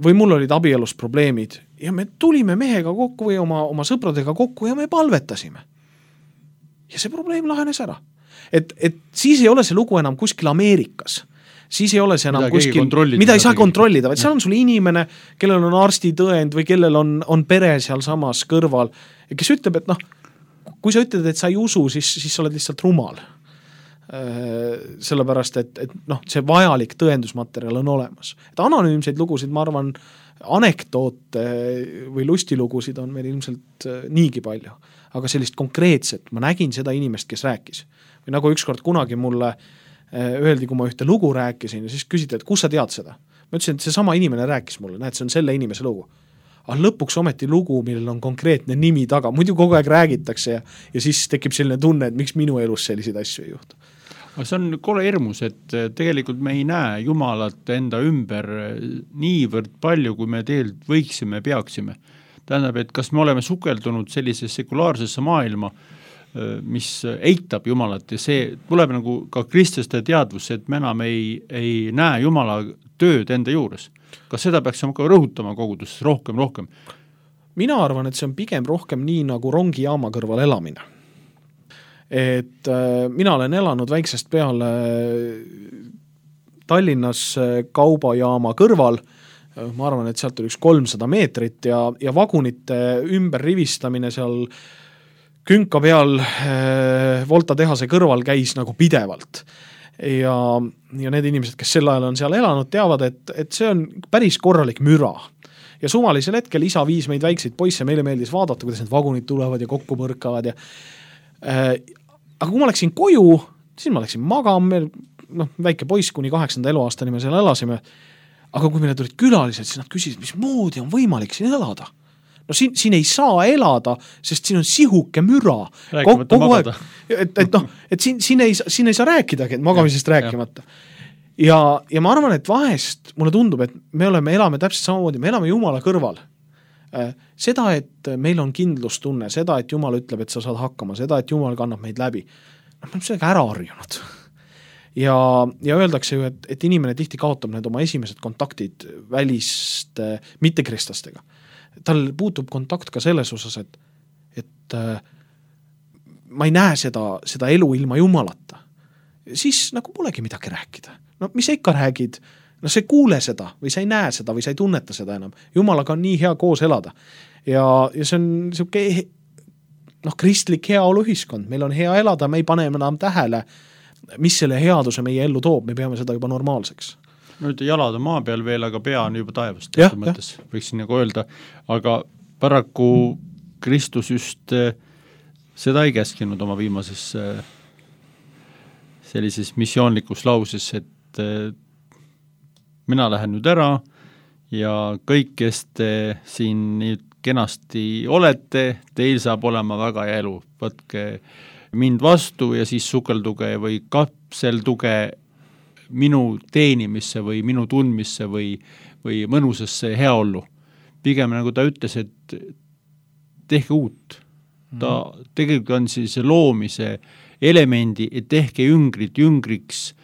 või mul olid abielus probleemid, ja me tulime mehega kokku või oma, oma sõpradega kokku ja me palvetasime. Ja see probleem lahenes ära. Et, et siis ei ole see lugu enam kuskil Ameerikas. Siis ei ole see enam mida kuskil, mida ei saa kontrollida, vaid seal on sul inimene, kellel on arstitõend või kellel on, on pere seal samas kõrval, kes ütleb, et noh, kui sa ütled, et sa ei usu, siis, siis sa oled lihtsalt rumal. Sellepärast, et, et noh, see vajalik tõendusmaterjal on olemas. Et anonüümseid lugusid, ma arvan, anekdoote või lustilugusid on meil ilmselt niigi palju. Aga sellist konkreetset, ma nägin seda inimest, kes rääkis. Või nagu ükskord kunagi mulle öeldi, kui ma ühte lugu rääkisin ja siis küsiti, et kus sa tead seda? Ma ütlesin, et see sama inimene rääkis mulle, näed, see on selle inimese lugu. Aga lõpuks ometi lugu, millel on konkreetne nimi taga, muidu kogu aeg räägitakse ja, ja siis tekib selline tunne, et miks minu elus selliseid asju ei juhtu. Aga see on kole hirmus, et tegelikult me ei näe Jumalat enda ümber niivõrd palju, kui me tegelikult võiksime, peaksime. Tähendab, et kas me oleme sukeldunud sellisesse sekulaarsesse maailma, mis eitab Jumalat ja see tuleb nagu ka kristlaste teadvusse, et me enam ei, ei näe Jumala tööd enda juures. Kas seda peaksime ka rõhutama koguduses rohkem, rohkem? Mina arvan, et see on pigem rohkem nii nagu rongijaama kõrval elamine. Et äh, mina olen elanud väiksest peale Tallinnas kaubajaama kõrval, ma arvan, et sealt oli üks kolmsada meetrit ja, ja vagunite ümber rivistamine seal künka peal äh, Volta tehase kõrval käis nagu pidevalt. Ja, ja need inimesed, kes sel ajal on seal elanud, teavad, et, et see on päris korralik müra. Ja sumalisel hetkel isa viis meid väikseid poisse, meile meeldis vaadata, kuidas need vagunid tulevad ja kokku põrkavad. Ja, äh, aga kui ma läksin koju, siis ma läksin magama, noh, väike poiss kuni kaheksanda eluaastani me seal elasime. Aga kui meile tulid külalised, siis nad küsisid, mis moodi on võimalik siin elada. No siin, siin ei saa elada, sest siin on sihuke müra. Rääkimata magada. Et, et, no, et siin, siin, ei, siin ei saa rääkidagi, et magamisest ja, rääkimata. Ja, ja ma arvan, et vahest mulle tundub, et me oleme, elame täpselt samamoodi, me elame Jumala kõrval. Seda, et meil on kindlustunne, seda, et Jumal ütleb, et sa saad hakkama, seda, et Jumal kannab meid läbi. No, me oleme sellega ära harjunud. Ja, ja öeldakse ju, et, et inimene tihti kaotab need oma esimesed kontaktid välist äh, mittekristlastega. Tal puutub kontakt ka selles osas, et, et äh, ma ei näe seda, seda elu ilma Jumalata. Siis nagu polegi midagi rääkida. No mis sa ikka räägid? No sa ei kuule seda või sa ei näe seda või sa ei tunneta seda enam. Jumalaga on nii hea koos elada. Ja, ja see on siuke noh, kristlik heaoluühiskond. Meil on hea elada, me ei pane enam tähele, mis selle headuse meie ellu toob, me peame seda juba normaalseks. Nüüd jalad on maa peal veel, aga pea on juba taevast. Ja, mõttes, võiksin nagu öelda, aga paraku Kristus just seda ei käskinud oma viimases sellises missioonlikus lauses, et mina lähen nüüd ära ja kõik, kes te siin nüüd kenasti olete, teil saab olema väga hea elu, võtke mind vastu ja siis sukelduge või kapselduge minu teenimisse või minu tundmisse või, või mõnusasse heaollu. Pigem nagu ta ütles, et tehke uut. Ta tegelikult on siis loomise elemendi, et tehke jüngrid jüngriks.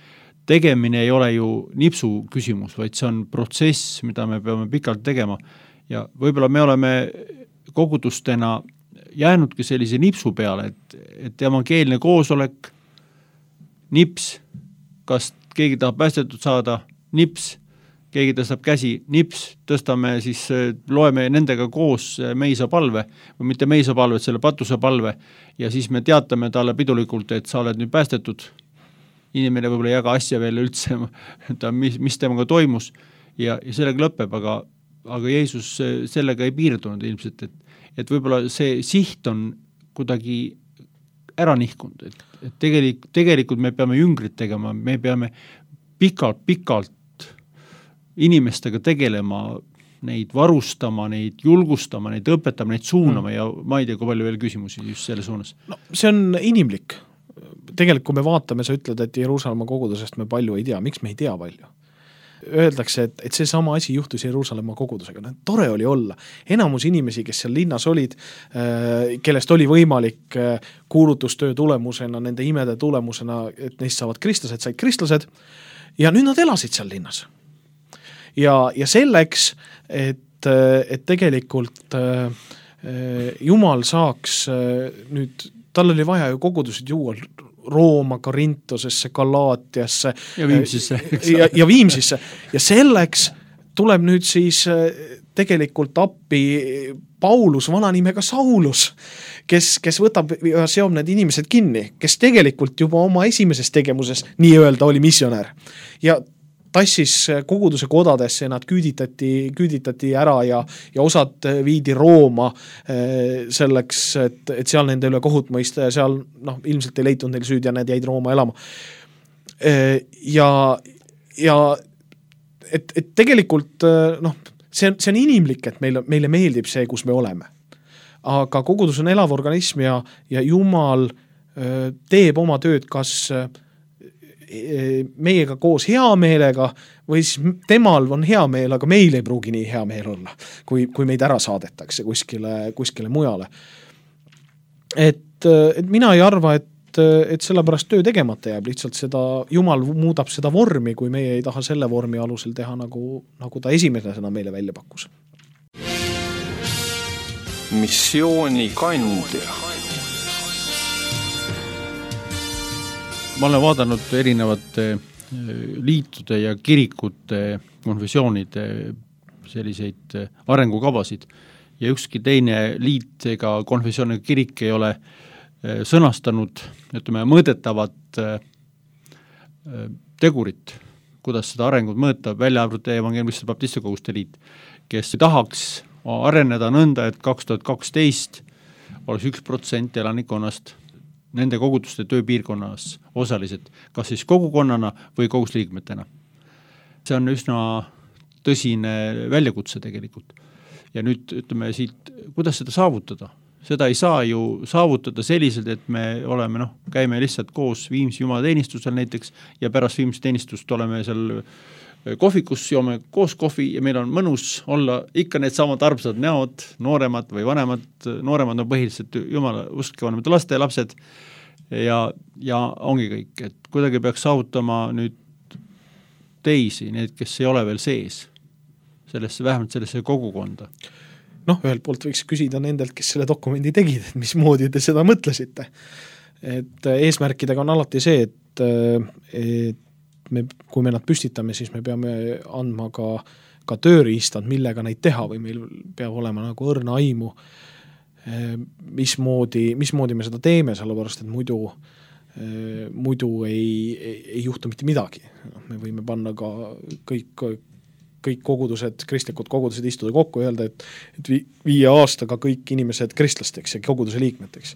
Tegemine ei ole ju nipsu küsimus, vaid see on protsess, mida me peame pikalt tegema. Ja võib-olla me oleme kogudustena jäänudki sellise nipsu peale, et, et evangeelne koosolek, nips, kas keegi tahab päästetud saada, nips, keegi tõstab käsi, nips, tõstame siis, loeme nendega koos meisa palve, või mitte meisa palve, selle patuse palve, ja siis me teatame talle pidulikult, et sa oled nüüd päästetud, inimene võib-olla ei jaga asja veel üldse, ta, mis, mis temaga toimus ja, ja sellega lõpeb, aga, aga Jeesus sellega ei piirdunud ilmselt, et, et võib-olla see siht on kuidagi ära nihkunud, et, et tegelik, tegelikult me peame jüngrit tegema, me peame pikalt, pikalt inimestega tegelema, neid varustama, neid julgustama, neid õpetama, neid suunama mm. ja ma ei tea, kui palju veel küsimusi just selle suunas. No, see on inimlik. Tegelikult, kui me vaatame, sa ütled, et Jeruusalemma kogudusest me palju ei tea. Miks me ei tea palju? Öeldakse, et, et see sama asi juhtus Jeruusalemma kogudusega. No, tore oli olla. Enamus inimesi, kes seal linnas olid, kellest oli võimalik kuulutustöö tulemusena, nende imede tulemusena, et neist saavad kristlased, said kristlased ja nüüd nad elasid seal linnas. Ja, ja selleks, et, et tegelikult Jumal saaks nüüd, tal oli vaja ju kogudusid juua Rooma, Korintosesse, Galaatiasse ja Viimsisse, ja, ja Viimsisse ja selleks tuleb nüüd siis tegelikult appi Paulus, vana nimega Saulus, kes, kes võtab ja seob need inimesed kinni, kes tegelikult juba oma esimeses tegemuses nii-öelda oli missionär ja tassis koguduse kodadesse, nad küüditati, küüditati ära ja, ja osad viidi Rooma selleks, et, et seal nende üle kohut mõista ja seal noh, ilmselt ei leitunud neil süüd ja need jäid Rooma elama. Ja, ja et, et tegelikult noh, see on, see on inimlik, et meile, meile meeldib see, kus me oleme. Aga kogudus on elav organism ja, ja Jumal teeb oma tööd kas meiega koos hea meelega või siis temal on hea meel, aga meil ei pruugi nii hea meel olla, kui, kui meid ära saadetakse kuskile, kuskile mujale. Et, et mina ei arva, et, et sellepärast töö tegemata jääb, lihtsalt seda, Jumal muudab seda vormi, kui meie ei taha selle vormi alusel teha, nagu, nagu ta esimesena meile välja pakkus. Missiooni kandja. Ma olen vaadanud erinevate liitude ja kirikute, konfessioonide selliseid arengukavasid ja ükski teine liit ega konfessiooniga kirik ei ole sõnastanud, ütleme, mõõdetavat tegurit, kuidas seda arengut mõõta, välja arvuti evangeelmiste baptistikoguste liit, kes tahaks areneda nõnda, et kaks tuhat kaksteist oleks üks protsent elanikonnast nende koguduste tööpiirkonnas osalised, kas siis kogukonnana või kogusliikmetena. See on üsna tõsine väljakutse tegelikult. Ja nüüd ütleme siit, kuidas seda saavutada? Seda ei saa ju saavutada selliselt, et me oleme, noh, käime lihtsalt koos Viimsi jumalateenistusel näiteks ja pärast Viimsi teenistust oleme seal kohvikus, joome koos kohvi ja meil on mõnus olla ikka need samad armsad näod, nooremad või vanemad, nooremad on põhiliselt jumala uskke vanemad laste lapsed ja, ja ongi kõik, et kuidagi peaks saavutama nüüd teisi, need, kes ei ole veel sees sellesse, vähemalt sellesse kogukonda. Noh, ühelt poolt võiks küsida nendelt, kes selle dokumendi tegid, et mismoodi te seda mõtlesite. Et eesmärkidega on alati see, et, et me, kui me nad püstitame, siis me peame andma ka, ka tööriistad, millega neid teha või meil peab olema nagu õrna aimu, mismoodi, mismoodi me seda teeme, sellepärast, et muidu, muidu ei, ei, ei juhtu mitte midagi. Me võime panna ka kõik, kõik kogudused, kristlikud kogudused istuda kokku ja öelda, et, et viie aastaga kõik inimesed kristlasteks ja koguduse liikmeteks.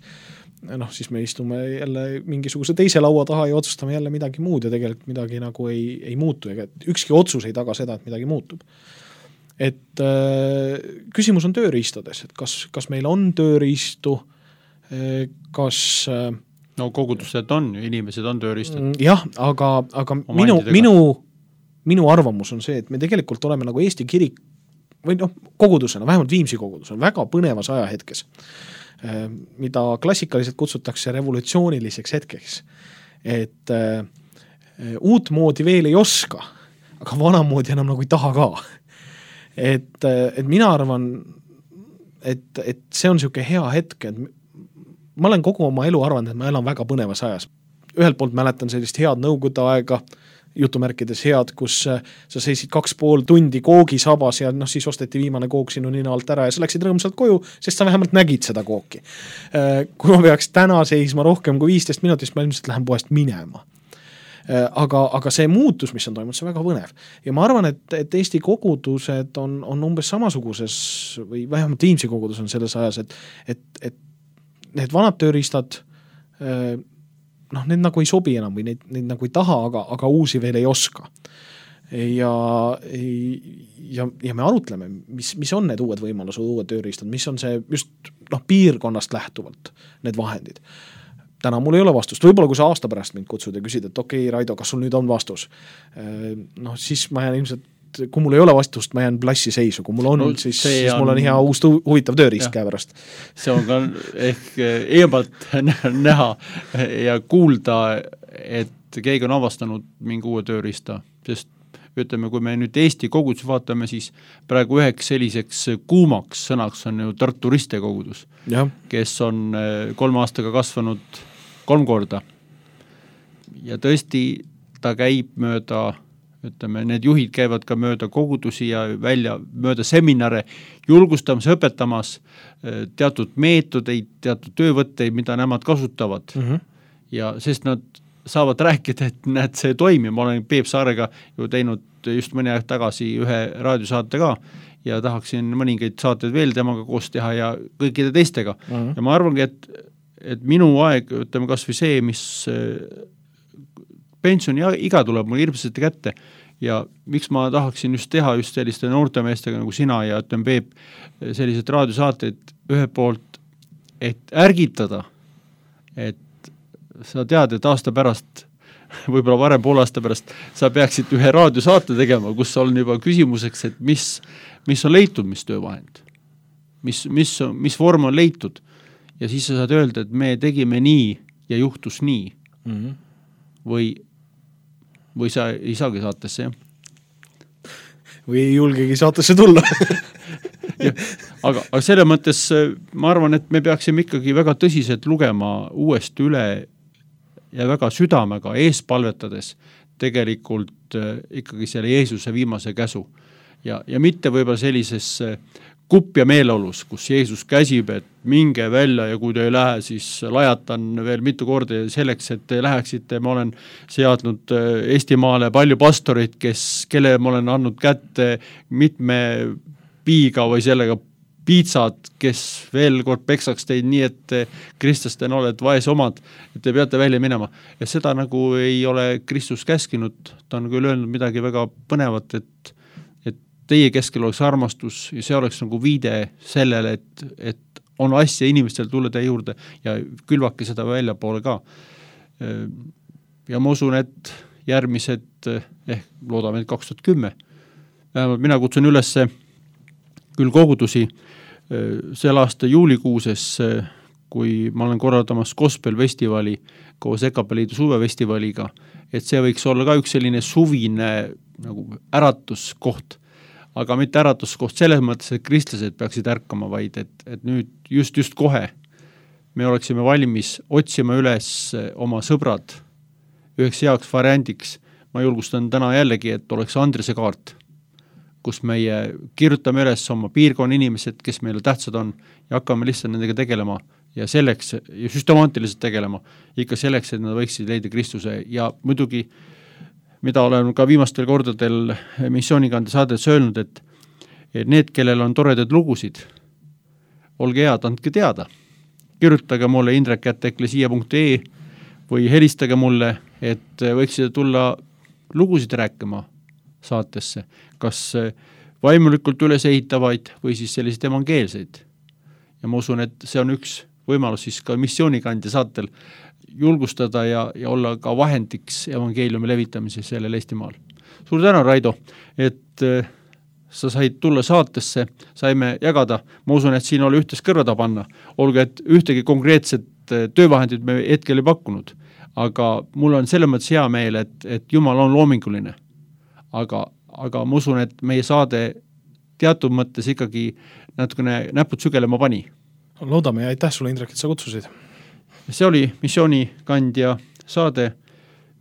Noh, siis me istume jälle mingisuguse teise laua taha ja otsustame jälle midagi muud ja tegelikult midagi nagu ei, ei muutu ega ükski otsus ei taga seda, et midagi muutub. Et äh, küsimus on tööriistades, et kas, kas meil on tööriistu, äh, kas äh, no kogudused on, inimesed on tööriistad. Jah, aga, aga minu, minu, minu arvamus on see, et me tegelikult oleme nagu Eesti kirik või noh, kogudusena, vähemalt Viimsi kogudus on väga põnevas ajahetkes, mida klassikaliselt kutsutakse revolutsiooniliseks hetkeks. Et äh, uut moodi veel ei oska, aga vanamoodi enam nagu ei taha ka. Et, et mina arvan, et, et see on niisugune hea hetk, et ma olen kogu oma elu arvanud, et ma elan väga põnevas ajas. Ühelt poolt mäletan sellist head nõukogude aega, jutumärkides head, kus sa seisid kaks pool tundi koogisabas ja noh, siis osteti viimane kook sinu nina alt ära ja sa läksid rõõmsalt koju, sest sa vähemalt nägid seda kooki. Kui ma peaks täna seisma rohkem kui viisteist minutist, ma ilmselt lähen poest minema. aga, aga see muutus, mis on toimunud, see on väga põnev. Ja ma arvan, et, et Eesti kogudused on, on umbes samasuguses või vähemalt Viimsi kogudus on selles ajas, et, et, et need vanad tööriistad noh, need nagu ei sobi enam või neid, neid nagu ei taha, aga, aga uusi veel ei oska. Ja, ja, ja me arutleme, mis, mis on need uued võimalused, uued tööriistad, mis on see just noh, piirkonnast lähtuvalt need vahendid. Täna mul ei ole vastust, võib-olla kui sa aasta pärast mind kutsud ja küsid, et okei, okay, Raido, kas sul nüüd on vastus? Noh, siis ma jään ilmselt, kui mul ei ole vastust, ma jään plassi seisu, kui mul on, no, siis, siis on... mul on hea uus huvitav tööriist käe pärast. See on ka ehk eemalt näha ja kuulda, et keegi on avastanud mingi uue tööriista, sest ütleme, kui me nüüd Eesti kogudus vaatame, siis praegu üheks selliseks kuumaks sõnaks on ju Tartu Riste kogudus, ja. Kes on kolme aastaga kasvanud kolm korda. Ja tõesti, ta käib mööda, ütleme, need juhid käivad ka mööda kogudusi ja välja mööda seminare, julgustamas, õpetamas teatud meetodeid, teatud töövõtteid, mida nemad kasutavad. Mm-hmm. Ja sest nad saavad rääkida, et näed, see toimib. Ma olen Peep Saarega ju teinud just mõni aeg tagasi ühe raadiosaate ka ja tahaksin mõningaid saateid veel temaga koos teha ja kõikide teistega. Mm-hmm. Ja ma arvangi, et, et minu aeg, ütleme kas või see, mis pensioni iga tuleb mul hirmsasti kätte ja miks ma tahaksin just teha just selliste noortemeestega nagu sina ja ütleme Peep sellised raadiosaateid ühe poolt, et ärgitada, et sa tead, et aasta pärast, võib-olla varem pool aasta pärast, sa peaksid ühe raadiosaate tegema, kus on juba küsimuseks, et mis, mis on leitud, mis töövahend, mis, mis, mis vorm on leitud. Ja siis sa saad öelda, et me tegime nii ja juhtus nii. Mm-hmm. Või, või sa ei saagi saatesse, jah? Või ei julgegi saatesse tulla. Ja, aga, aga selle mõttes ma arvan, et me peaksime ikkagi väga tõsiselt lugema uuesti üle ja väga südamega ees palvetades tegelikult ikkagi selle Jeesuse viimase käsu. Ja, ja mitte võib-olla sellises kupp ja meeleolus, kus Jeesus käsib, et minge välja ja kui te ei lähe, siis lajatan veel mitu korda selleks, et te läheksite. Ma olen seadnud Eestimaale palju pastoreid, kes, kelle ma olen andnud kätte mitme piiga või sellega piitsad, kes veel kord peksaks teid nii, et kristlasten oled vaes omad, et te peate välja minema. Ja seda nagu ei ole Kristus käskinud, ta on küll öelnud midagi väga põnevat, et, et teie keskel oleks armastus ja see oleks nagu viide sellele, et, et on asja inimestel tulla teie juurde ja külvake seda välja poole ka. Ja ma usun, et järgmised, ehk loodame, et kaks tuhat kümme, vähemalt mina kutsun üles küll kogudusi sel aasta juulikuuses, kui ma olen korraldamas Gospel festivali koos Ekapeliidu suvefestivaliga, et see võiks olla ka üks selline suvine nagu äratuskoht, aga mitte äratuskoht selles mõttes, et kristlased peaksid ärkama, vaid et, et nüüd just, just kohe me oleksime valmis otsima üles oma sõbrad üheks heaks variandiks. Ma julgustan täna jällegi, et oleks Andrese kaart, kus meie kirjutame üles oma piirkonna inimesed, kes meile tähtsad on ja hakkame lihtsalt nendega tegelema ja selleks, ja süstemaatiliselt tegelema, ikka selleks, et nad võiksid leida Kristuse ja muidugi, mida olen ka viimastel kordadel missioonikande saades öelnud, et, et need, kellel on toredad lugusid, olge head, andke teada. Kirjutage mulle indrek at eklesia punkt ee või helistage mulle, et võiksite tulla lugusid rääkima saatesse, kas vaimulikult üles ehitavaid või siis selliseid evangeelseid. Ja ma usun, et see on üks võimalus siis ka missioonikandja saatel julgustada ja, ja olla ka vahendiks evangeeliumi levitamise sellel Eestimaal. Suur tänu, Raido, et sa said tulla saatesse, saime jagada, ma usun, et siin oli ühtes kõrvada panna, olgu, et ühtegi konkreetset töövahendit me hetkel ei pakkunud, aga mul on selle mõttes hea meel, et, et Jumal on loominguline. Aga, aga ma usun, et meie saade teatud mõttes ikkagi natukene näpud sügelema pani. Loodame ja aitäh sulle, Indrek, et sa kutsusid. See oli missioonikandja saade.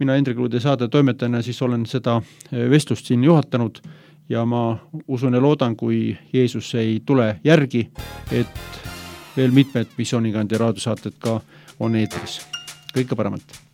Mina Indrek Luude saade toimetajana siis olen seda vestlust siin juhatanud ja ma usun ja loodan, kui Jeesus ei tule järgi, et veel mitmed missioonikandja raadiosaated ka on eetris. Kõike paremat!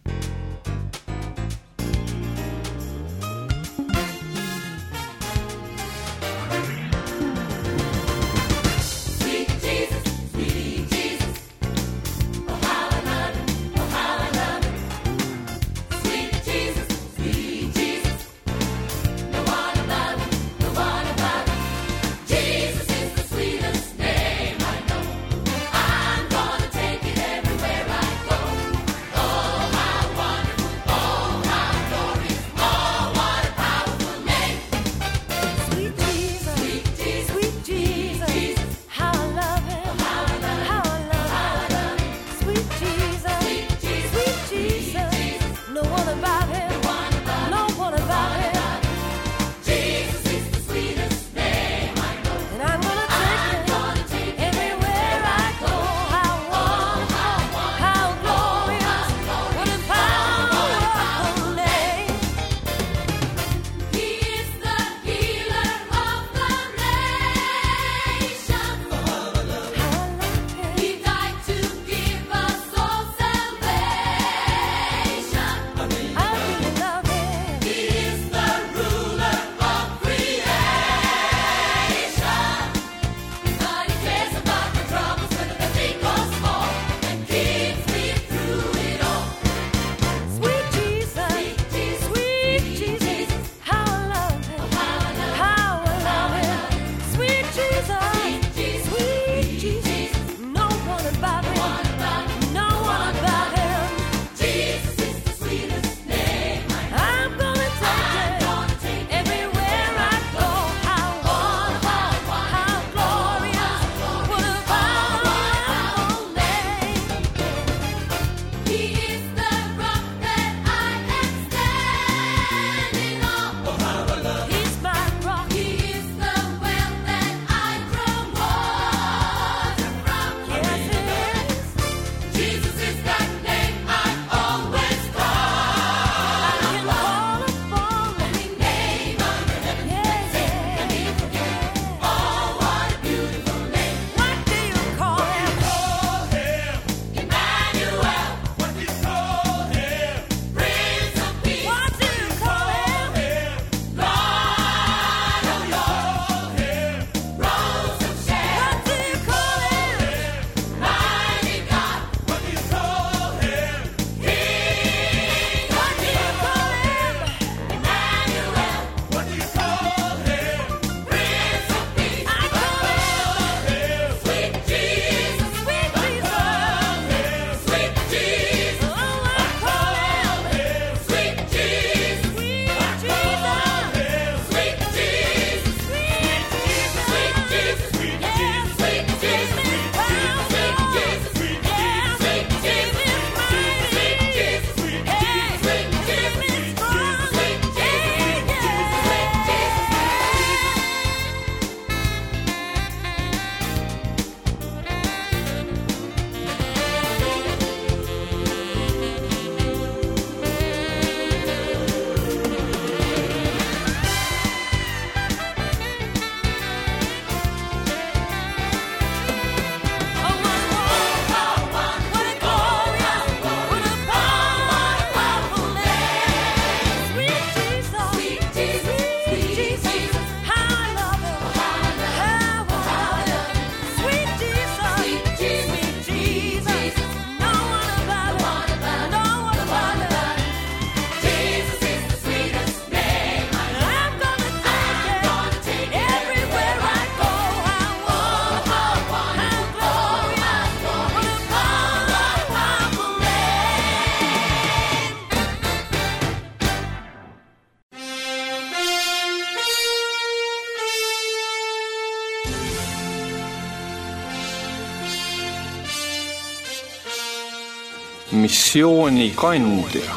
missioonikandja.